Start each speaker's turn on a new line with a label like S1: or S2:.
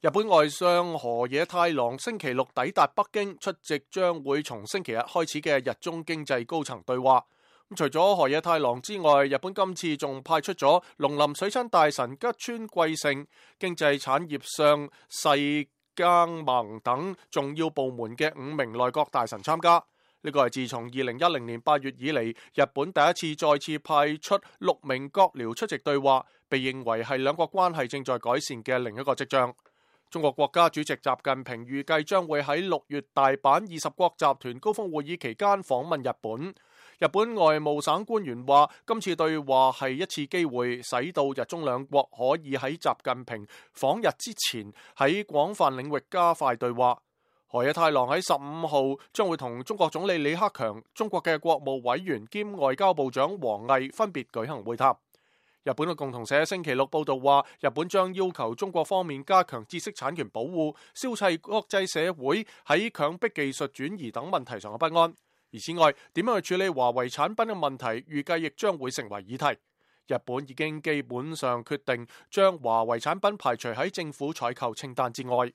S1: 日本外相河野太郎星期六抵達北京，出席將會從星期日開始嘅日中經濟高層對話。除咗河野太郎之外，日本今次仲派出咗農林水產大臣吉川貴盛、經濟產業相細耕盟等重要部門嘅5名內閣大臣參加。呢個係自從2010年8月以嚟，日本第一次再次派出6名閣僚出席對話，被認為係兩國關係正在改善嘅另一個跡象。中國國家主席習近平預計將會喺6月大阪20國集團高峰會議期間訪問日本。日本外務省官員話，今次對話係一次機會，使到日中兩國可以喺習近平訪日之前喺廣泛領域加快對話。河野太郎喺15號將會同中國總理李克強、中國嘅國務委員兼外交部長王毅分別舉行會談。日本嘅共同社星期六報道話，日本將要求中國方面加強知識產權保護，消除國際社會喺強迫技術轉移等問題上嘅不安。而此外，點樣去處理華為產品嘅問題，預計亦將會成為議題。日本已經基本上決定將華為產品排除喺政府採購清單之外。